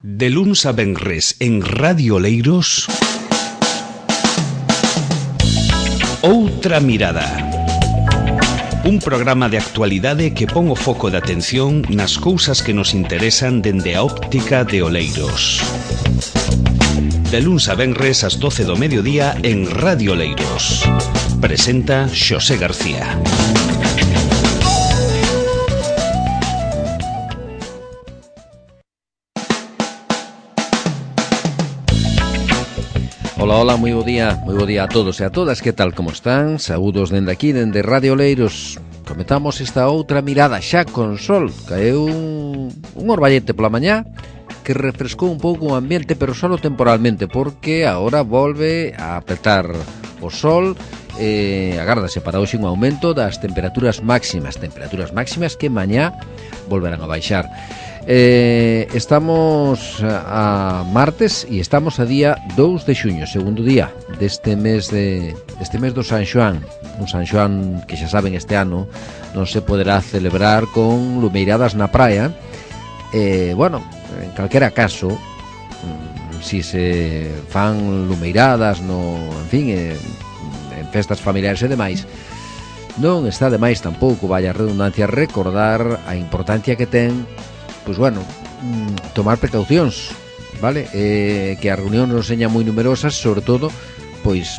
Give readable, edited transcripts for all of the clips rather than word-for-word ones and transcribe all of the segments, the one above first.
De luns a venres en Radio Oleiros, Outra Mirada. Un programa de actualidade que pon o foco de atención nas cousas que nos interesan dende a óptica de Oleiros. De luns a venres ás 12 do mediodía en Radio Oleiros. Presenta Xosé García. Hola, moi bo día a todos e a todas, que tal, como están? Saúdos dende aquí, dende Radio Oleiros. Comentamos esta outra mirada xa con sol. Caeu un orballete pola mañá que refrescou un pouco o ambiente, pero solo temporalmente, porque agora volve a apretar o sol. Agárdase para hoxe un aumento das temperaturas máximas que mañá volverán a baixar. Estamos a martes e estamos a día 2 de xuño, segundo día deste mes do San Xoán. Un San Xoán que xa saben este ano non se poderá celebrar con lumeiradas na praia. Bueno, en calquera caso, si se fan lumeiradas en festas familiares e demais, non está demais tampouco, vaya redundancia, recordar a importancia que ten, pois bueno, tomar precaucións, vale? Que as reunións non señan moi numerosas, sobre todo, pois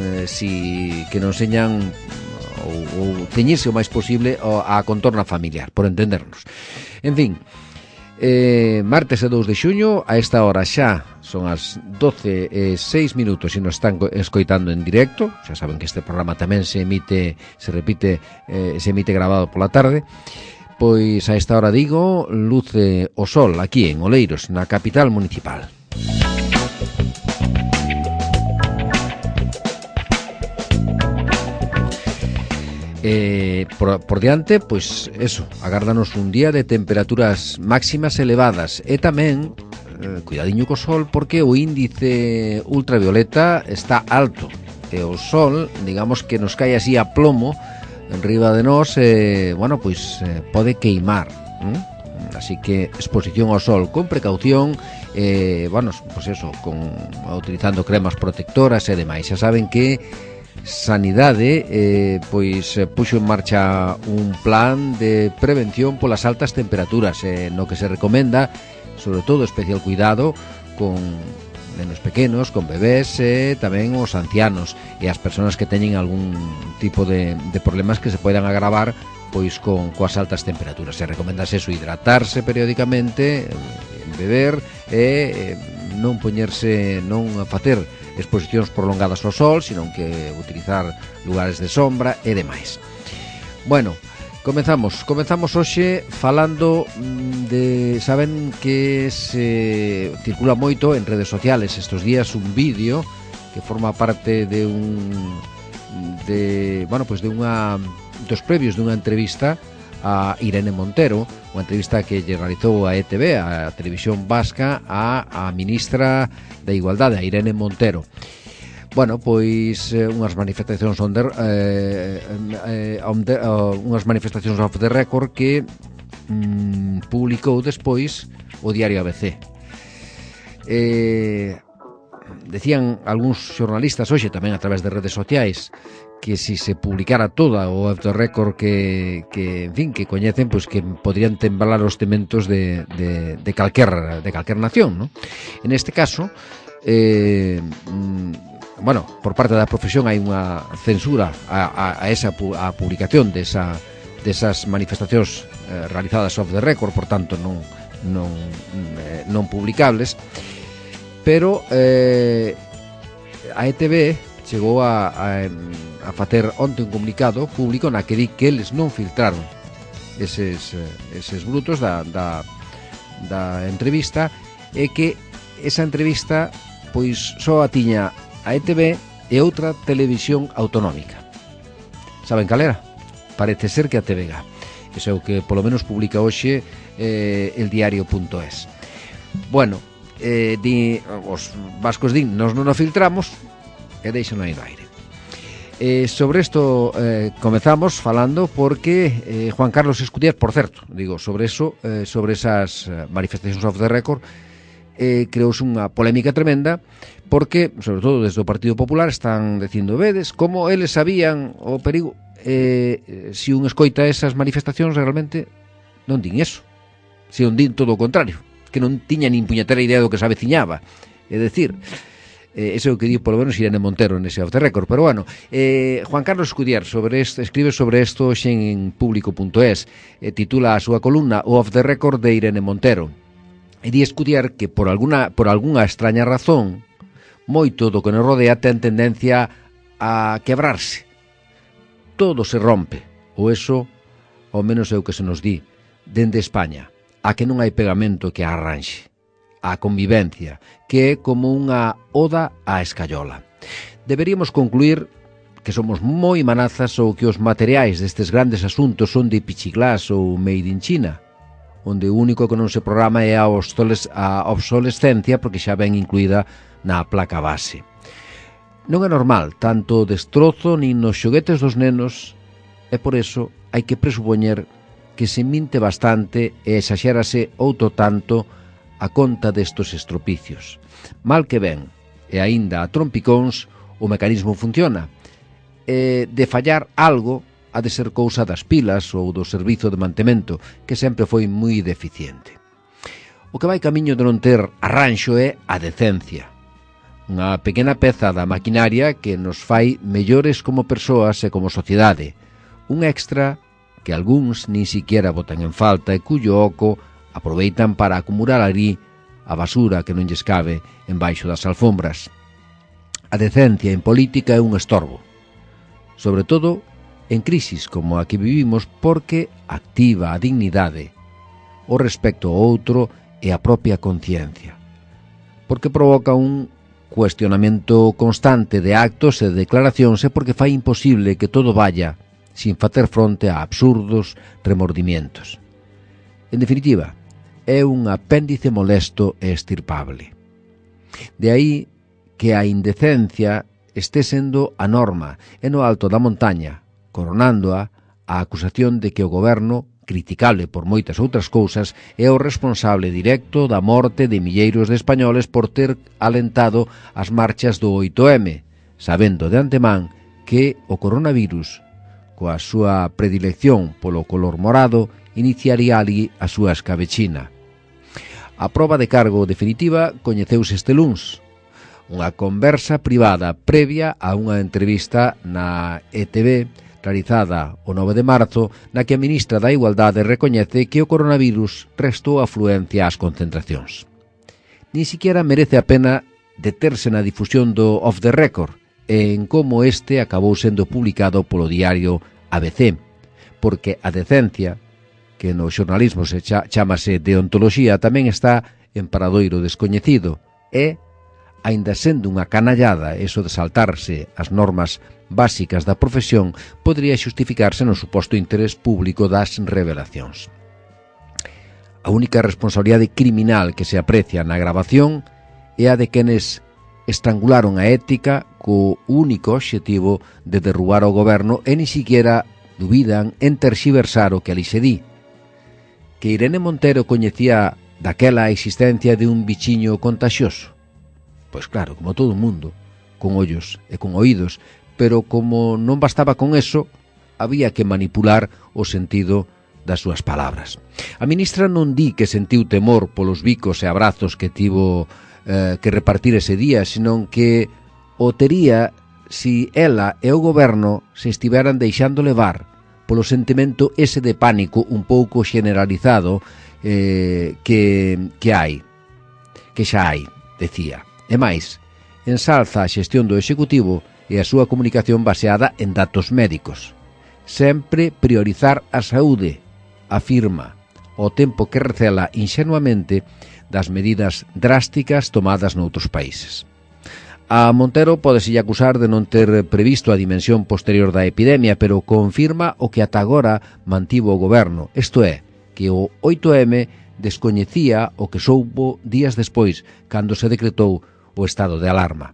que non señan ou ceñirse o máis posible a contorna familiar, por entendernos. En fin, martes e 2 de xuño, a esta hora xa son as 12:06 e nos están escoitando en directo. Xa saben que este programa tamén se emite grabado pola tarde. Pois a esta hora digo, luce o sol aquí en Oleiros, na capital municipal. Por diante, pois eso, agárdanos un día de temperaturas máximas elevadas e tamén, cuidadiño co sol, porque o índice ultravioleta está alto e o sol, digamos que nos cae así a plomo enriba de nós, pode queimar, así que exposición ao sol con precaución, utilizando cremas protectoras e demais. Xa saben que Sanidade puxo en marcha un plan de prevención polas altas temperaturas, no que se recomenda, sobre todo, especial cuidado con nenos pequenos, con bebés e tamén os ancianos e as persoas que teñen algún tipo de problemas que se poidan agravar pois coas altas temperaturas. Se recomendase eso, hidratarse periódicamente, beber e non facer exposicións prolongadas ao sol, sino que utilizar lugares de sombra e demais. Bueno, comezamos hoxe falando de, saben que se circula moito en redes sociales estes días un vídeo que forma parte dos previos dunha entrevista a Irene Montero, unha entrevista que lle realizou a ETV, a Televisión Vasca, a ministra da Igualdade, a Irene Montero. Bueno, pois unhas manifestacións off the record que publicou despois o diario ABC. Decían algúns xornalistas hoxe tamén a través de redes sociais que si se publicara toda o off the record que coñecen, pois que podrían temblar os tementos de calquer nación, ¿no? En este caso, por parte da profesión hai unha censura a publicación desas manifestacións realizadas off the record, por tanto non publicables, pero a ETV chegou a facer onte un comunicado público na que di que eles non filtraron eses brutos da entrevista e que esa entrevista pois só a tiña a ETV e outra televisión autonómica. Saben cal era? Parece ser que a TVG. Eso é o que polo menos publica hoxe eldiario.es. Bueno, os vascos nos non o filtramos e deixan aí no aire. Sobre isto comezamos falando porque Juan Carlos Escudero, por certo, digo, sobre eso, sobre esas manifestacións off the record, creouse unha polémica tremenda porque, sobre todo desde o Partido Popular, están dicindo, vedes, como eles sabían o perigo. Se un escoita esas manifestacións, realmente non din eso, se non din todo o contrario, que non tiña nin puñetera idea do que se aveciñaba. É dicir, eso é o que di polo menos Irene Montero nese Off the Record. Pero bueno, Juan Carlos Escudier escribe sobre isto hoxe en público.es, titula a súa columna O Off the Record de Irene Montero, e di Escudier que por algunha extraña razón moito do que nos rodea ten tendencia a quebrarse. Todo se rompe, ou eso ao menos é o que se nos di dende España, a que non hai pegamento que arranxe, a convivencia, que é como unha oda á escayola. Deberíamos concluir que somos moi manazas ou que os materiais destes grandes asuntos son de Pichiglas ou Made in China, onde o único que non se programa é a obsolescencia porque xa ven incluída na placa base. Non é normal tanto destrozo nin nos xoguetes dos nenos, e por eso hai que presupoñer que se minte bastante e exaxérase outro tanto a conta destos estropicios. Mal que ben, e aínda a trompicóns, o mecanismo funciona. De fallar algo, ha de ser cousa das pilas ou do servizo de mantemento, que sempre foi moi deficiente. O que vai camiño de non ter arranxo é a decencia. Unha pequena peza da maquinaria que nos fai mellores como persoas e como sociedade. Un extra que algúns nin siquiera botan en falta e cuyo oco aproveitan para acumular ali a basura que non lles cabe embaixo das alfombras. A decencia en política é un estorbo, sobre todo en crisis como a que vivimos, porque activa a dignidade, o respecto ao outro e a propia conciencia, porque provoca un cuestionamento constante de actos e de declaracións e porque fai imposible que todo vaya sin facer fronte a absurdos remordimientos. En definitiva, é un apéndice molesto e estirpable. De aí que a indecencia esté sendo a norma e no alto da montaña, coronándoa a acusación de que o goberno, criticable por moitas outras cousas, é o responsable directo da morte de milleiros de españoles por ter alentado as marchas do 8M, sabendo de antemán que o coronavirus, coa súa predilección polo color morado, iniciaría ali a súa escabechina. A proba de cargo definitiva coñeceuse este luns, unha conversa privada previa a unha entrevista na ETV realizada o 9 de marzo, na que a ministra da Igualdade recoñece que o coronavirus restou afluencia ás concentracións. Ni siquiera merece a pena deterse na difusión do Off the Record e en como este acabou sendo publicado polo diario ABC, porque a decencia, que no xornalismo se chamase deontoloxía, tamén está en paradoiro descoñecido e, aínda sendo unha canallada eso de saltarse as normas básicas da profesión, podría xustificarse no suposto interés público das revelacións. A única responsabilidade criminal que se aprecia na gravación é a de quenes estrangularon a ética co único obxectivo de derrubar o goberno e ni siquiera dubidan en terxiversar o que ali se di. Que Irene Montero coñecía daquela a existencia de un bichiño contagioso? Pois claro, como todo o mundo, con ollos e con oídos, pero como non bastaba con eso, había que manipular o sentido das súas palabras. A ministra non di que sentiu temor polos bicos e abrazos que tivo que repartir ese día, senón que o tería si ela e o goberno se estiveran deixando levar polo sentimento ese de pánico un pouco generalizado que hai, que xa hai, decía. E máis, ensalza a xestión do Executivo e a súa comunicación baseada en datos médicos. Sempre priorizar a saúde, afirma, ao tempo que recela inxenuamente das medidas drásticas tomadas noutros países. A Montero pódeselle acusar de non ter previsto a dimensión posterior da epidemia, pero confirma o que ata agora mantivo o goberno, isto é, que o 8M descoñecía o que soubo días despois, cando se decretou o estado de alarma.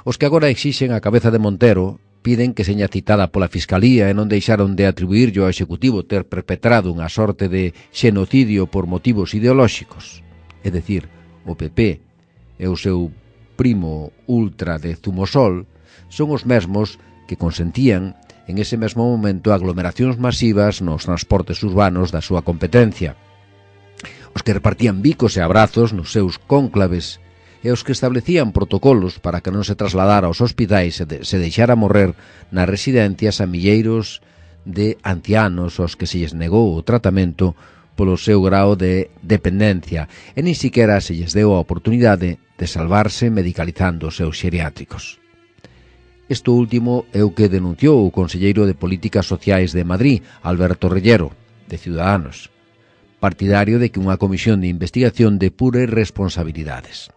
Os que agora exixen a cabeza de Montero piden que seña citada pola Fiscalía e non deixaron de atribuirlle ao Executivo ter perpetrado unha sorte de xenocidio por motivos ideolóxicos. É dicir, o PP, e o seu primo ultra de Zumosol, son os mesmos que consentían en ese mesmo momento aglomeracións masivas nos transportes urbanos da súa competencia, os que repartían bicos e abrazos nos seus cónclaves e os que establecían protocolos para que non se trasladara aos hospitais e se deixara morrer nas residencias a milleiros de ancianos aos que se lles negou o tratamento polo seu grao de dependencia e nin siquiera se lles deu a oportunidade de salvarse medicalizando os seus xeriátricos. Isto último é o que denunciou o conselleiro de Políticas Sociais de Madrid, Alberto Reyero, de Ciudadanos, partidario de que unha comisión de investigación depure responsabilidades.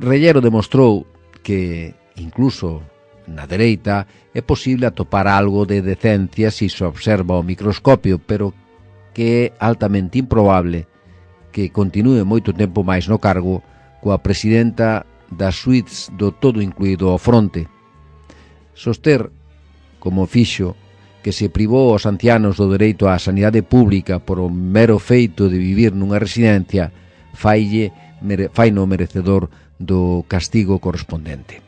Reyero demostrou que, incluso na dereita, é posible atopar algo de decencia se se observa ao microscopio, pero que é altamente improbable que continúe moito tempo máis no cargo coa presidenta das suites do todo incluído ao fronte. Soster, como fixo, que se privou aos ancianos do dereito á sanidade pública por o mero feito de vivir nunha residencia, faino merecedor do castigo correspondente.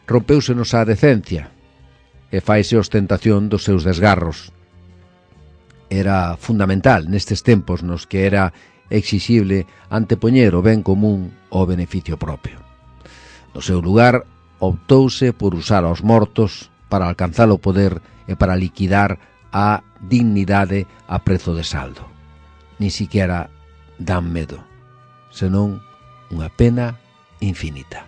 Rompéusenos a decencia e faise ostentación dos seus desgarros. Era fundamental nestes tempos nos que era exixible antepoñer o ben común ao beneficio propio. No seu lugar, optouse por usar aos mortos para alcanzar o poder e para liquidar a dignidade a prezo de saldo. Ni siquiera dan medo, senón unha pena infinita.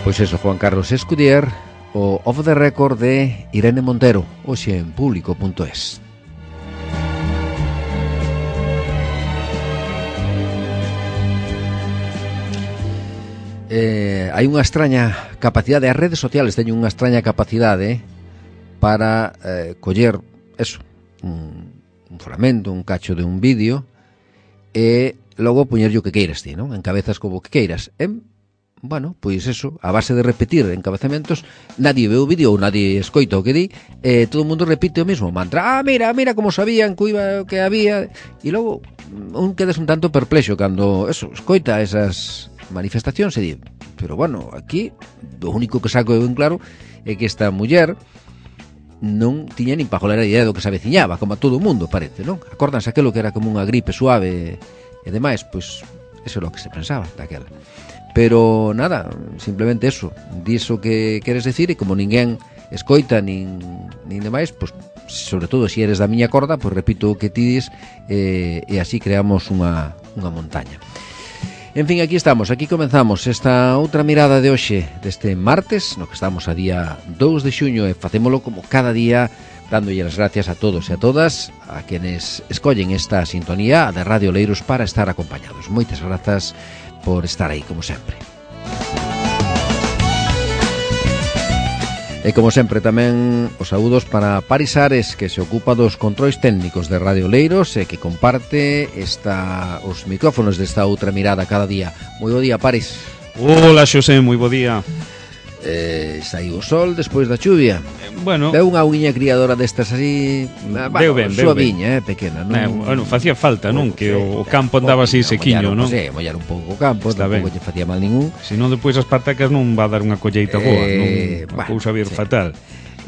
Pois eso, Juan Carlos Escudier, o Off the Record de Irene Montero, hoxe en público.es. Hai unha extraña capacidade, as redes sociales teñen unha extraña capacidade para coller eso, un fragmento, un cacho de un vídeo e logo poñerlle o que queiras ti, non? Encabezas como que queiras. Bueno, pois eso, a base de repetir encabezamentos, nadie ve o vídeo ou nadie escoita o que di, todo o mundo repite o mesmo mantra. Mira como sabían que había, e logo un quedas un tanto perplexo cando eso, escoita esas manifestacións e di, pero bueno, aquí o único que saco eu en claro é que esta muller non tiña nin pajolera idea do que se aveciñaba, como a todo o mundo parece, non? Acórdanse aquilo que era como unha gripe suave e demais, pois eso é o que se pensaba daquela. Pero nada, simplemente eso, diso que queres decir e como ninguén escoita nin demais, pois sobre todo se eres da miña corda, pois repito o que ti dis e así creamos unha montaña. En fin, aquí estamos, aquí comenzamos esta outra mirada de hoxe, deste martes, no que estamos a día 2 de xuño e facémolo como cada día, dándolle as gracias a todos e a todas, a quenes escollen esta sintonía de Radio Oleiros para estar acompañados. Moitas grazas por estar aí, como sempre. E como sempre tamén os saúdos para Paris Ares, que se ocupa dos controis técnicos de Radio Oleiros e que comparte os micrófonos desta outra mirada cada día. Moi bo día, Paris. Hola, Xosé, moi bo día. Saiu o sol despois da chuvia. Bueno, veu unha uña criadora destas así, veu ben, suaviña, pequena, non? Bueno, facía falta, non? Que o campo andaba así sequiño, non? Sí, mollar un pouco o campo, tampouco lle facía mal ningún. Se non, depois as patacas non va a dar unha colleita boa, non? A cousa vir fatal.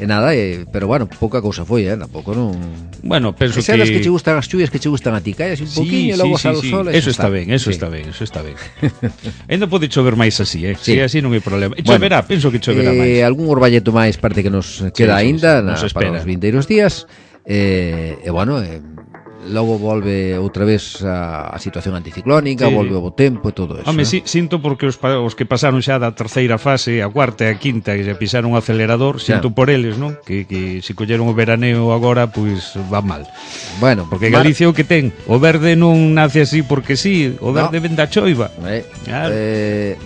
E nada, pero bueno, pouca cousa foi, tampouco non... Bueno, penso que... Esas que che gustan as chuvias que che gustan a ti, cae así un poquinho e logo sale o sol. Eso está ben. Ainda pode chover máis así, se así non hai problema. Choverá, penso que choverá máis. Algún orballeto máis parte que nos queda aínda para os vindeiros días. E bueno, logo volve outra vez a situación anticiclónica, volve o bo tempo e todo eso. Home, sinto porque os que pasaron xa da terceira fase, a cuarta e a quinta, que xa pisaron o acelerador, sinto por eles, non? Que se colleron o veraneo agora, pois va mal. Bueno, porque Galicia o que ten, o verde non nace así porque sí, o verde ven da choiva.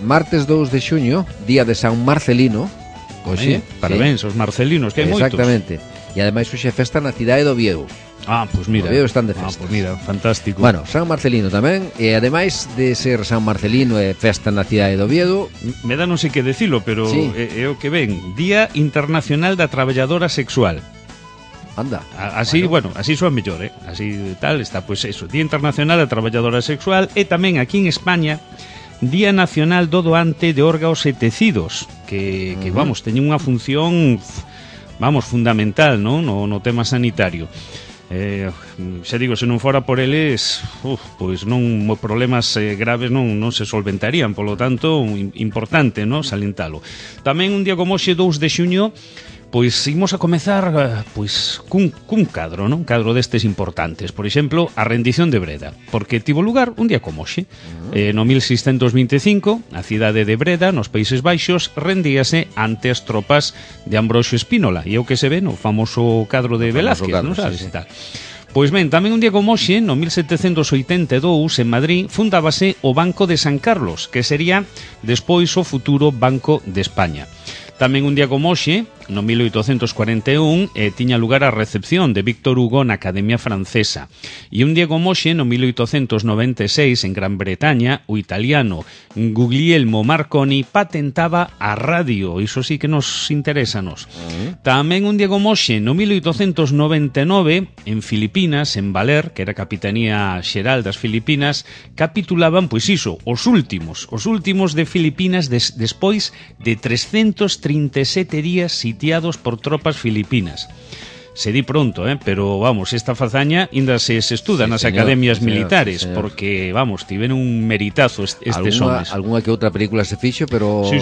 Martes 2 de xuño, día de San Marcelino. Oxe, parabéns aos marcelinos, que hai moitos. Exactamente. E ademais hoxe é festa na cidade de Oviedo. Pois mira. Oviedo están de festas. Pois mira, fantástico. Bueno, San Marcelino tamén, e ademais de ser San Marcelino e festa na cidade de Oviedo, me dá non sei que decilo, pero é o que ven, Día Internacional da Traballadora Sexual. Anda. Así, bueno, así soa mellor, así tal, está, pois eso, Día Internacional da Traballadora Sexual, e tamén aquí en España Día Nacional do Doante de Órganos e Tecidos, que vamos, teñen unha función, vamos, fundamental, non? No tema sanitario. Xa digo, se non fora por eles, pois non, problemas graves non se solventarían, polo tanto, importante, non, salentalo. Tamén un día como hoxe, 2 de xuño, pois imos a comezar pois cun cadro, non? Un cadro destes importantes. Por exemplo, a rendición de Breda, porque tivo lugar un día como hoxe. No 1625, a cidade de Breda, nos Países Baixos, rendíase ante as tropas de Ambroxo Espínola, e é o que se ve no famoso cadro de Velázquez, non sabes? Sí, sí. Pois ben, tamén un día como hoxe, no 1782, en Madrid, fundábase o Banco de San Carlos, que sería despois o futuro Banco de España. Tamén un día como hoxe, no 1841, tiña lugar a recepción de Víctor Hugo na Academia Francesa. E un día como hoxe, no 1896, en Gran Bretaña, o italiano Guglielmo Marconi patentaba a radio. Iso sí que nos interesa nos. Tamén un día como hoxe, no 1899, en Filipinas, en Valer, que era a Capitanía Xeral das Filipinas, capitulaban, pois iso, os últimos de Filipinas despois de 337 días sitiados por tropas filipinas. Se di pronto, pero vamos, esta fazaña ainda se estuda nas academias militares, señor. Porque, vamos, tiveron un meritazo estes homes. Alguna que outra película se fixo, pero... Sí.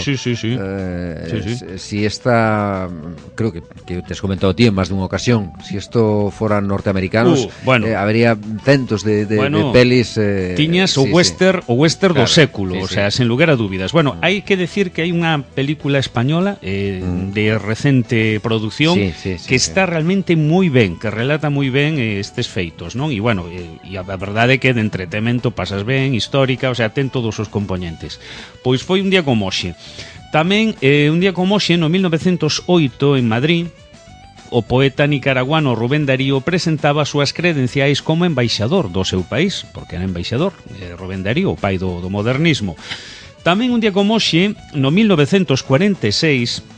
Si esta... Creo que te has comentado ti en máis dunha ocasión, si isto foran norteamericanos, habería centos de pelis... Tiñas o western do século, o sea, sen lugar a dúbidas. Bueno, hai que decir que hai unha película española de recente producción que está realmente moi ben, que relata moi ben estes feitos, non? E bueno, e a verdade é que de entretemento pasas ben, histórica, o sea, ten todos os componentes. Pois foi un día como hoxe. Tamén un día como hoxe, no 1908, en Madrid, o poeta nicaraguano Rubén Darío presentaba as súas credenciais como embaixador do seu país, porque era embaixador, Rubén Darío, o pai do modernismo. Tamén un día como hoxe, no 1946,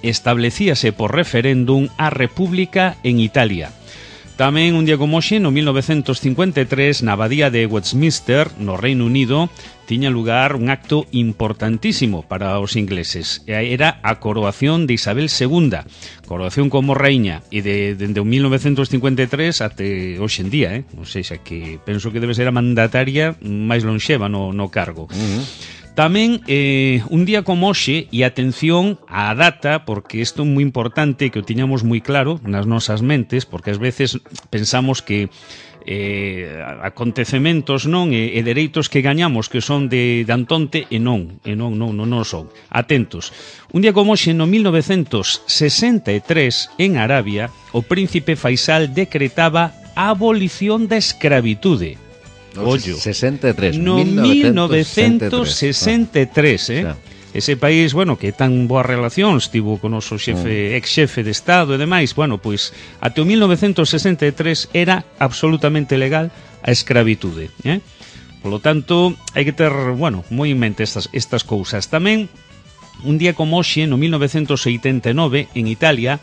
establecíase por referéndum a República en Italia. Tamén un día como hoxe, no 1953, na abadía de Westminster, no Reino Unido, tiña lugar un acto importantísimo para os ingleses. Era a coroación de Isabel II, coroación como reina, e dende o 1953 até hoxe en día, ou seja, que penso que debe ser a mandataria máis lonxeva no cargo. Tamén un día como hoxe, e atención á data, porque isto é moi importante que o tiñamos moi claro nas nosas mentes, porque ás veces pensamos que acontecementos non e dereitos que gañamos que son de Antonte e non son. Atentos. Un día como hoxe, no 1963, en Arabia, o príncipe Faisal decretaba a abolición da escravitude. Ollo. 63, no 1963, Ese país, bueno, que tan boas relacións tivo con o noso ex-xefe de Estado e demais, bueno, pois até o 1963 era absolutamente legal a escravitude, Polo tanto, hai que ter, bueno, moi en mente estas cousas. Tamén, un día como hoxe, no 1989, en Italia,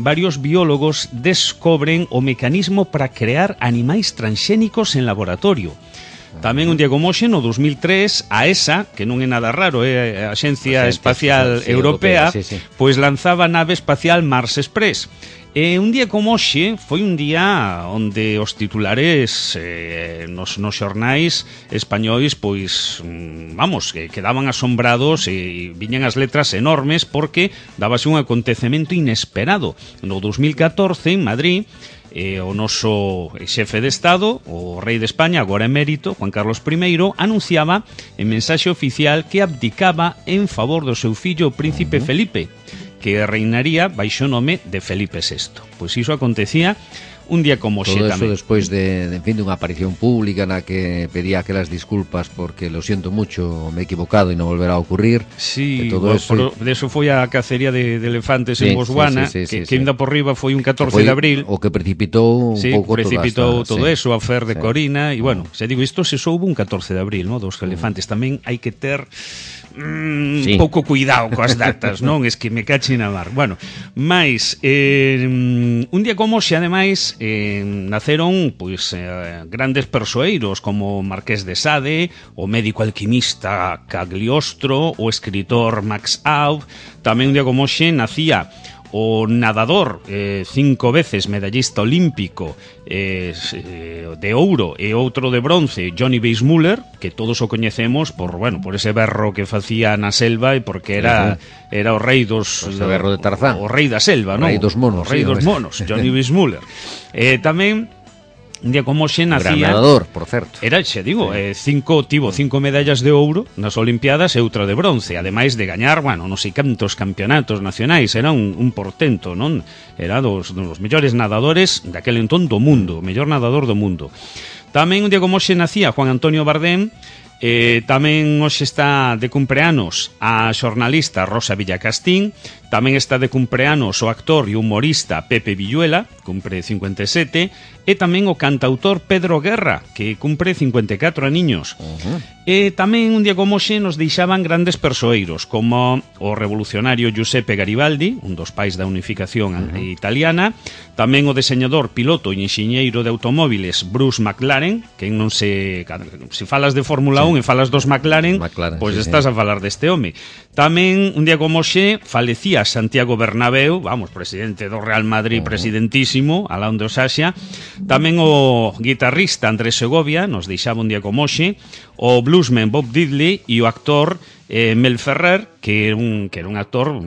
varios biólogos descobren o mecanismo para crear animais transxénicos en laboratorio. Tamén un día como hoxe, no 2003, a ESA, que non é nada raro, é a Axencia Espacial Europea, pois lanzaba a nave espacial Mars Express. E un día como hoxe foi un día onde os titulares nos xornais españois, pois, vamos, que quedaban asombrados e viñan as letras enormes porque dábase un acontecemento inesperado. No 2014, en Madrid, o noso xefe de Estado, o rei de España, agora emérito, Juan Carlos I, anunciaba en mensaxe oficial que abdicaba en favor do seu fillo, o príncipe Felipe, que reinaría baixo o nome de Felipe VI. Pois iso acontecía un día como hoxe tamén. Todo eso despois de unha aparición pública na que pedía aquelas disculpas porque lo siento mucho, me he equivocado e non volverá a ocurrir. Sí, de eso foi a cacería de elefantes en Botswana, que ainda por riba foi un 14 de abril. O que precipitou un pouco todo eso, a fer de Corina, e bueno, se digo, isto se soubo un 14 de abril, dos elefantes. Tamén hai que ter Sí. pouco cuidado coas datas, non? Es que me cache na mar. Bueno, mais un día como hoxe, ademais, naceron pois grandes persoeiros como Marqués de Sade, o médico alquimista Cagliostro, o escritor Max Aub. Tamén un día como hoxe nacía o nadador 5 veces medallista olímpico de ouro e outro de bronce, Johnny Weissmuller, que todos o coñecemos por ese berro que facía na selva e porque era o rei dos... O berro de Tarzán. O rei da selva, non? O rei dos monos. O rei dos monos, Johnny Weissmuller. Tamén un día como hoxe nacía... Gran nadador, por certo. Era, xe digo, tivo 5 medallas de ouro nas Olimpiadas e outra de bronce, ademais de gañar, non sei cantos campeonatos nacionais, era un portento, non? Era dos mellores nadadores daquele entón do mundo, o mellor nadador do mundo. Tamén un día como hoxe nacía Juan Antonio Bardem. Tamén hoxe está de cumpleanos a xornalista Rosa Villacastín. Tamén está de cumpleanos o actor e humorista Pepe Villuela, cumpre 57, e tamén o cantautor Pedro Guerra, que cumpre 54 aniños. E tamén un día como hoxe nos deixaban grandes persoeiros, como o revolucionario Giuseppe Garibaldi, un dos pais da unificación italiana, tamén o deseñador, piloto e enxeñeiro de automóviles Bruce McLaren, que non se falas de Fórmula 1 e falas dos McLaren, pois estás a falar deste home. Tamén un día como hoxe falecía Santiago Bernabéu, presidente do Real Madrid, presidentísimo, alá onde o xaxa. Tamén o guitarrista Andrés Segovia nos deixaba un día como hoxe, o bluesman Bob Diddley e o actor Mel Ferrer, que era un actor,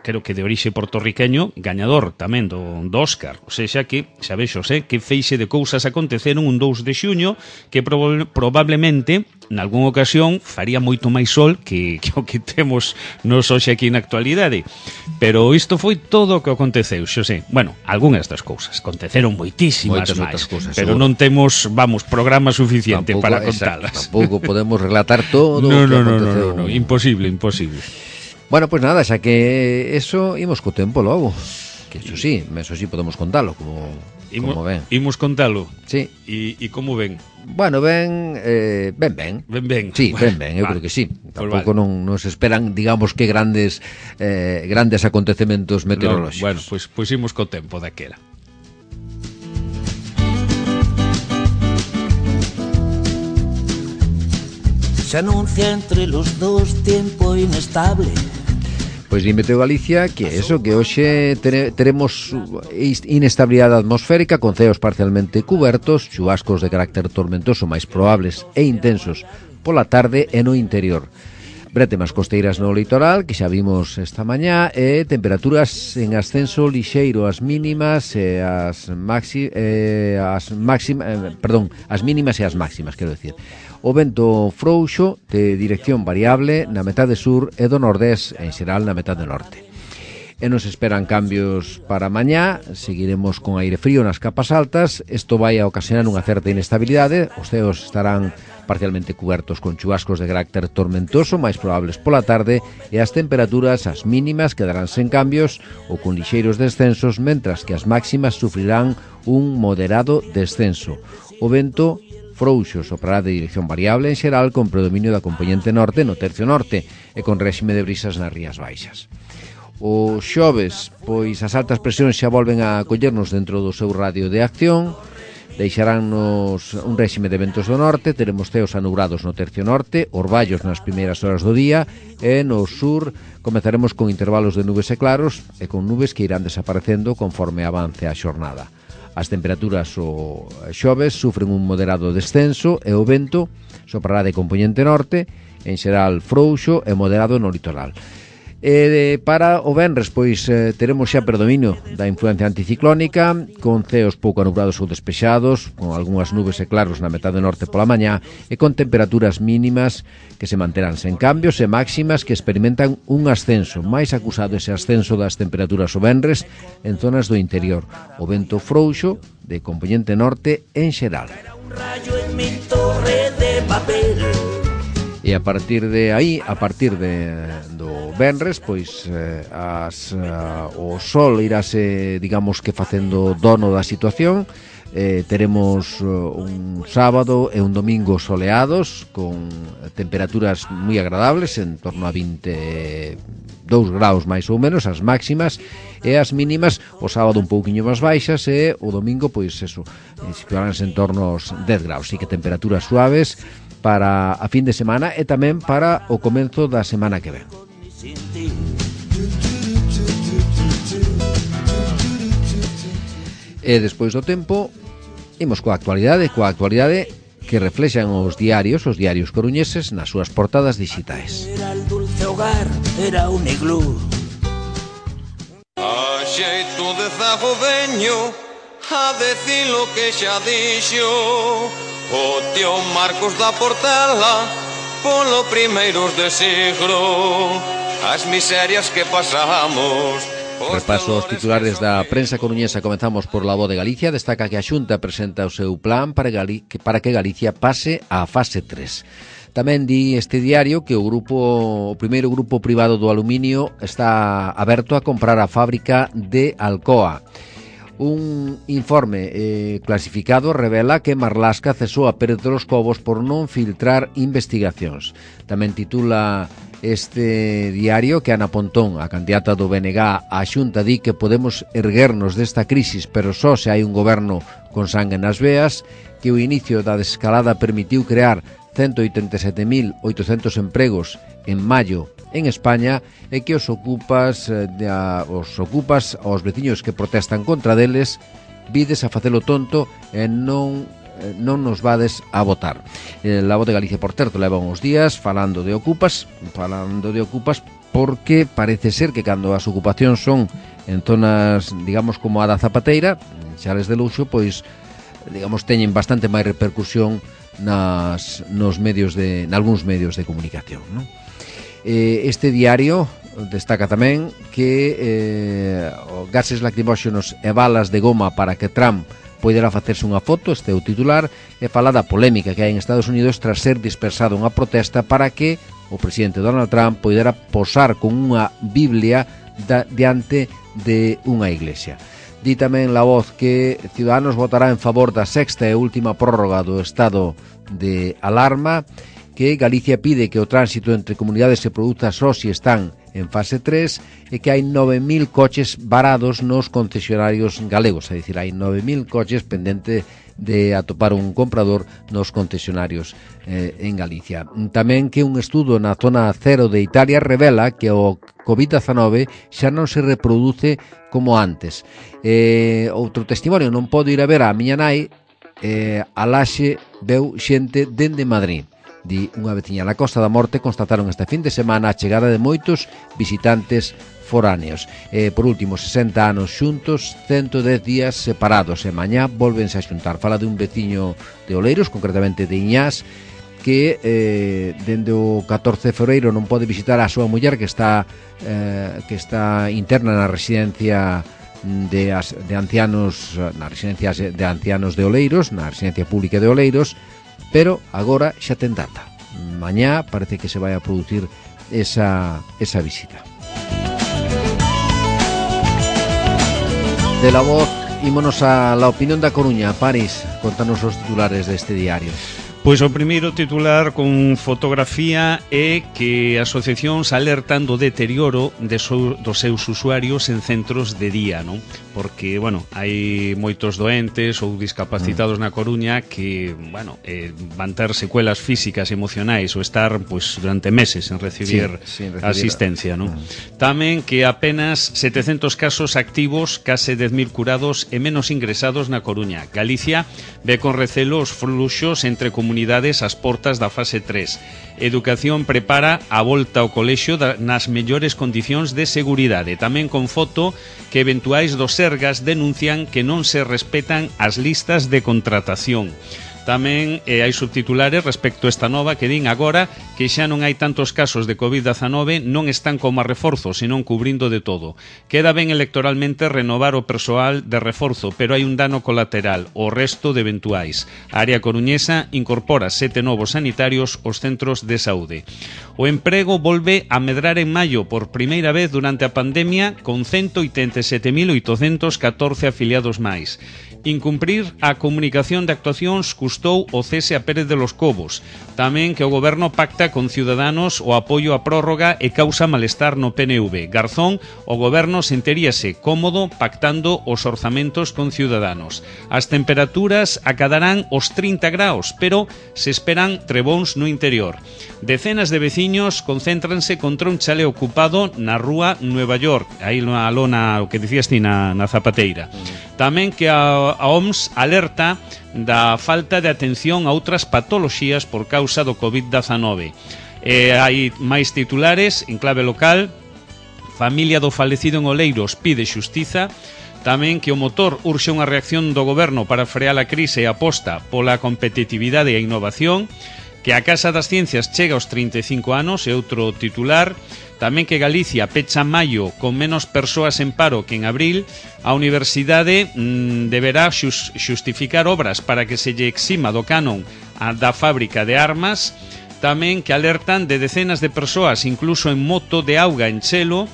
creo que de orixe portorriqueño, gañador tamén do Óscar. O sea que, xa vexos, que feixe de cousas aconteceron un 2 de xuño que probablemente, nalgún ocasión, faría moito máis sol que o que temos nos hoxe aquí na actualidade. Pero isto foi todo o que aconteceu, Xosé. Algunhas das cousas. Aconteceron moitísimas máis, pero non temos, programa suficiente para contalas. Tampouco podemos relatar todo o que aconteceu. No, imposible. Bueno, pues nada, xa que eso imos co tempo logo. Que eso sí podemos contalo como ven. Imos contalo. Sí. E como ven? Bueno, ben. Sí, bueno, ben, eu creo que sí. Tampouco non nos esperan, digamos, que grandes acontecementos meteorolóxicos. Bueno, pois imos co tempo daquela. Se anuncia entre los dos tiempo inestable. Pois dime Teo Galicia que eso, que hoxe teremos inestabilidade atmosférica con ceos parcialmente cubertos, chubascos de carácter tormentoso máis probables e intensos pola tarde e no interior. Bretemas costeiras no litoral, que xa vimos esta mañá, e temperaturas en ascenso lixeiro, as mínimas e as mínimas e as máximas, quero decir. O vento frouxo de dirección variable na metade sur e do nordés, en xeral na metade norte. E nos esperan cambios para mañá, seguiremos con aire frío nas capas altas, isto vai a ocasionar unha certa inestabilidade, os ceos estarán parcialmente cubertos con chubascos de carácter tormentoso, máis probables pola tarde, e as temperaturas, as mínimas, quedarán sen cambios ou con lixeiros descensos, mentras que as máximas sufrirán un moderado descenso. O vento frouxo soprará de dirección variable en xeral con predominio da componente norte no tercio norte e con réxime de brisas nas rías baixas. O xoves, pois as altas presións xa volven a collernos dentro do seu radio de acción, deixaránnos un réxime de ventos do norte, teremos ceos anubrados no tercio norte, orballos nas primeiras horas do día e no sur comezaremos con intervalos de nubes e claros e con nubes que irán desaparecendo conforme avance a xornada. As temperaturas o xoves sufren un moderado descenso e o vento soprará de componente norte, en xeral frouxo e moderado no litoral. Para o venres, pois teremos xa predominio da influencia anticiclónica, con ceos pouco anubrados ou despexados, con algunhas nubes e claros na metade norte pola mañá, e con temperaturas mínimas que se manterán sen cambios e máximas que experimentan un ascenso, máis acusado ese ascenso das temperaturas o venres en zonas do interior. O vento frouxo de componente norte en xeral. E a partir de aí, do venres, pois o sol irase, digamos que facendo dono da situación, teremos un sábado e un domingo soleados con temperaturas moi agradables, en torno a 22 graus máis ou menos as máximas, e as mínimas o sábado un pouquiño máis baixas, e o domingo pois eso, situaránse en torno aos 10 graus, así que temperaturas suaves para a fin de semana e tamén para o comenzo da semana que ven. E despois do tempo imos coa actualidade que reflexan os diarios coruñeses nas súas portadas digitais. Era el dulce hogar, era un iglú. A xeito de zago veño a decir lo que xa dixo o tío Marcos da Portela polo primeiros de siglo, as miserias que pasamos. Repaso os titulares da prensa coruñesa. Comenzamos por La Voz de Galicia. Destaca que a Xunta presenta o seu plan para que Galicia pase á fase 3. Tamén di este diario que o primeiro grupo privado do aluminio está aberto a comprar a fábrica de Alcoa. Un informe clasificado revela que Marlaska cesou a Pérez de los Cobos por non filtrar investigacións. Tamén titula este diario que Ana Pontón, a candidata do BNG á Xunta, di que podemos erguernos desta crisis, pero só se hai un goberno con sangue nas veas, que o inicio da desescalada permitiu crear 187.800 empregos en maio en España, e que os ocupas aos veciños que protestan contra deles, vides a facelo tonto e non nos vades a votar. La Voz de Galicia, por certo, leva uns días falando de ocupas, porque parece ser que cando as ocupacións son en zonas, digamos, como a da Zapateira, xales de luxo, pois, digamos, teñen bastante máis repercusión nalgúns medios de comunicación, non? Este diario destaca tamén que gases lacrimóxenos e balas de goma para que Trump poderá facerse unha foto, este é o titular, e fala da polémica que hai en Estados Unidos tras ser dispersada unha protesta para que o presidente Donald Trump poderá posar con unha Biblia diante de unha iglesia. Di tamén La Voz que Ciudadanos votará en favor da sexta e última prórroga do estado de alarma, que Galicia pide que o tránsito entre comunidades se produza só se están en fase 3, e que hai 9.000 coches varados nos concesionarios galegos, é dicir, hai 9.000 coches pendente de atopar un comprador nos concesionarios en Galicia. Tamén que un estudo na zona 0 de Italia revela que o COVID-19 xa non se reproduce como antes. Outro testimonio, non podo ir a ver a miña nai, a Laxe veu xente dende Madrid. Di unha veciña na Costa da Morte constataron este fin de semana a chegada de moitos visitantes foráneos. Por último, 60 anos xuntos, 110 días separados, e mañá volvense a xuntar. Fala de un veciño de Oleiros, concretamente de Iñás, que dende o 14 de febreiro non pode visitar a súa muller que está interna na residencia de ancianos, na residencia de ancianos de Oleiros, na residencia pública de Oleiros, pero agora xa ten data. Mañá parece que se vai a producir esa visita. De La Voz, ímonos a La Opinión da Coruña. París, contanos os titulares deste diario. Pois o primeiro titular con fotografía é que asociacións alertan do deterioro dos seus usuarios en centros de día, non? Porque, bueno, hai moitos doentes ou discapacitados na Coruña que, bueno, van ter secuelas físicas e emocionais ou estar, pois, durante meses en recibir asistencia, non? Tamén que apenas 700 casos activos, case 10.000 curados e menos ingresados na Coruña. Galicia ve con recelo os fluxos entre comunidades ás portas da fase 3. Educación prepara a volta ao colexio nas mellores condicións de seguridade. Tamén con foto que eventuais do Sergas denuncian que non se respetan as listas de contratación. Tamén hai subtitulares respecto a esta nova que din agora que xa non hai tantos casos de COVID-19, non están como a reforzo, senón cubrindo de todo. Queda ben electoralmente renovar o persoal de reforzo, pero hai un dano colateral, o resto de eventuais. A área coruñesa incorpora 7 novos sanitarios aos centros de saúde. O emprego volve a medrar en maio por primeira vez durante a pandemia con 187.814 afiliados máis. Incumprir a comunicación de actuacións custou o cese a Pérez de los Cobos. Tamén que o goberno pacta con Ciudadanos o apoio á prórroga e causa malestar no PNV. Garzón, o goberno sentiríase cómodo pactando os orzamentos con Ciudadanos. As temperaturas acadarán os 30 graus, pero se esperan trebóns no interior. Decenas de veciños concéntranse contra un chale ocupado na rúa Nueva York, aí na lona, o que dicías ti, na Zapateira. Tamén que a OMS alerta da falta de atención a outras patoloxías por causa do COVID-19. Hai máis titulares en clave local. Familia do falecido en Oleiros pide xustiza. Tamén que o motor urxe unha reacción do goberno para frear a crise e aposta pola competitividade e a innovación. Que a Casa das Ciencias chega aos 35 anos, é outro titular. Tamén que Galicia pecha maio con menos persoas en paro que en abril. A universidade deberá xustificar obras para que se lle exima do canon da fábrica de armas. Tamén que alertan de decenas de persoas, incluso en moto de auga en Chelo.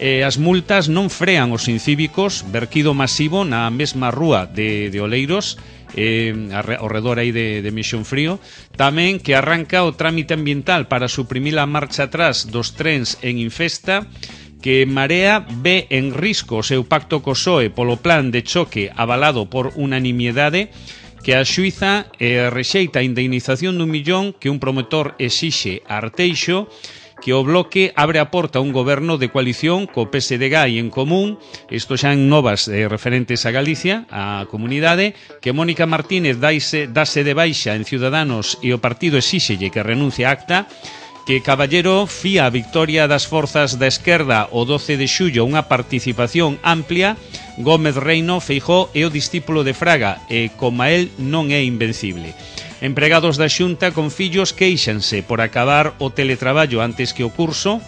As multas non frean os incívicos, verquido masivo na mesma rúa de Oleiros, ao redor aí de Misión Frío. Tamén que arranca o trámite ambiental para suprimir a marcha atrás dos trens en Infesta. Que Marea ve en risco o seu pacto co PSOE polo plan de choque avalado por unanimidade. Que a Xuiza rexeita a indemnización d'1 millón que un promotor exixe a Arteixo. Que o Bloque abre a porta a un goberno de coalición co PSDG e En Común. Isto xa en novas referentes a Galicia, a comunidade. Que Mónica Martínez dase de baixa en Ciudadanos e o partido exíxelle que renuncie a Acta. Que Caballero fía a victoria das forzas da esquerda o 12 de xullo unha participación amplia. Gómez Reino, Feijóo é o discípulo de Fraga e, como a él, non é invencible. Empregados da Xunta con fillos queixanse por acabar o teletraballo antes que o curso.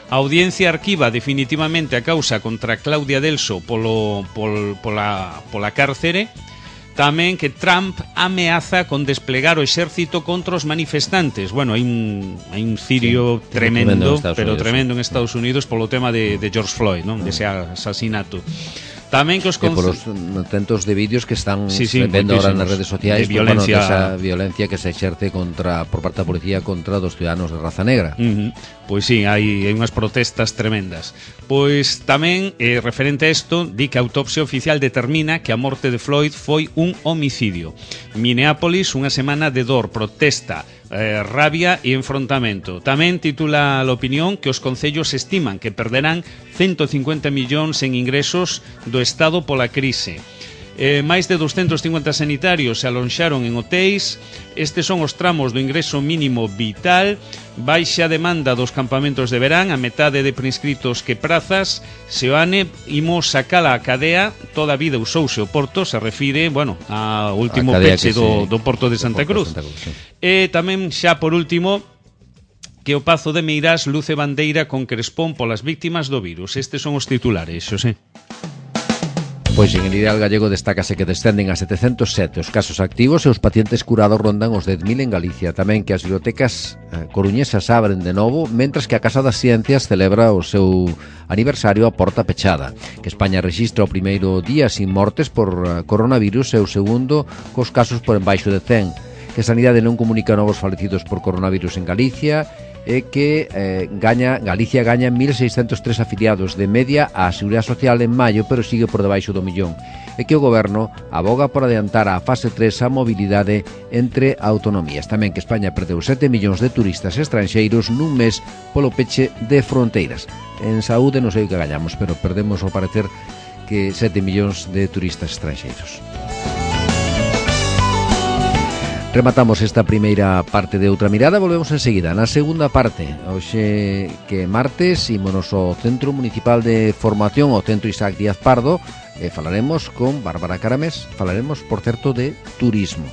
A Audiencia arquiva definitivamente a causa contra Claudia Delso pola cárcere. Tamén que Trump ameaza con desplegar o exército contra os manifestantes. Bueno, hai un cirio tremendo en Estados Unidos polo tema de George Floyd, non? Dese asasinato. Tamén que os polos tentos de vídeos que están vendo ahora nas redes sociais de violencia, esa violencia que se exerce por parte da policía contra dos ciudadanos de raza negra. Pois sí, hai unhas protestas tremendas. Pois tamén, referente a isto, di que a autopsia oficial determina que a morte de Floyd foi un homicidio. Minneapolis, unha semana de dor, protesta, rabia e enfrontamento. Tamén titula a opinión que os concellos estiman que perderán 150 millóns en ingresos do Estado pola crise. Máis de 250 sanitarios se alonxaron en hotéis. Estes son os tramos do ingreso mínimo vital. Baixa demanda dos campamentos de verán, a metade de prescritos que prazas. Seoane, imos sacala a cadea. Toda a vida usouse o porto, se refire, ao último peche do porto de Santa Cruz. E tamén, xa por último, que o Pazo de Meirás luce bandeira con crespón polas víctimas do virus. Estes son os titulares, Xosé. Pois en el ideal gallego destácase que descenden a 707 os casos activos e os pacientes curados rondan os 10.000 en Galicia. Tamén que as bibliotecas coruñesas abren de novo, mentras que a Casa das Ciencias celebra o seu aniversario a porta pechada. Que España rexistra o primeiro día sin mortes por coronavirus e o segundo cos casos por embaixo de 100. Que Sanidade non comunica novos falecidos por coronavirus en Galicia e que Galicia gaña 1.603 afiliados de media á Seguridade Social en maio, pero sigue por debaixo do millón, e que o goberno aboga por adiantar a fase 3 a mobilidade entre autonomías. Tamén que España perdeu 7 millóns de turistas estranxeiros nun mes polo peche de fronteiras. En saúde non sei o que gañamos, pero perdemos ao parecer que 7 millóns de turistas estranxeiros. Rematamos esta primeira parte de Outra Mirada, volvemos enseguida na segunda parte. Hoxe que martes ímonos ao Centro Municipal de Formación, ao Centro Isaac Díaz Pardo, e falaremos con Bárbara Caramés, falaremos, por certo, de turismo.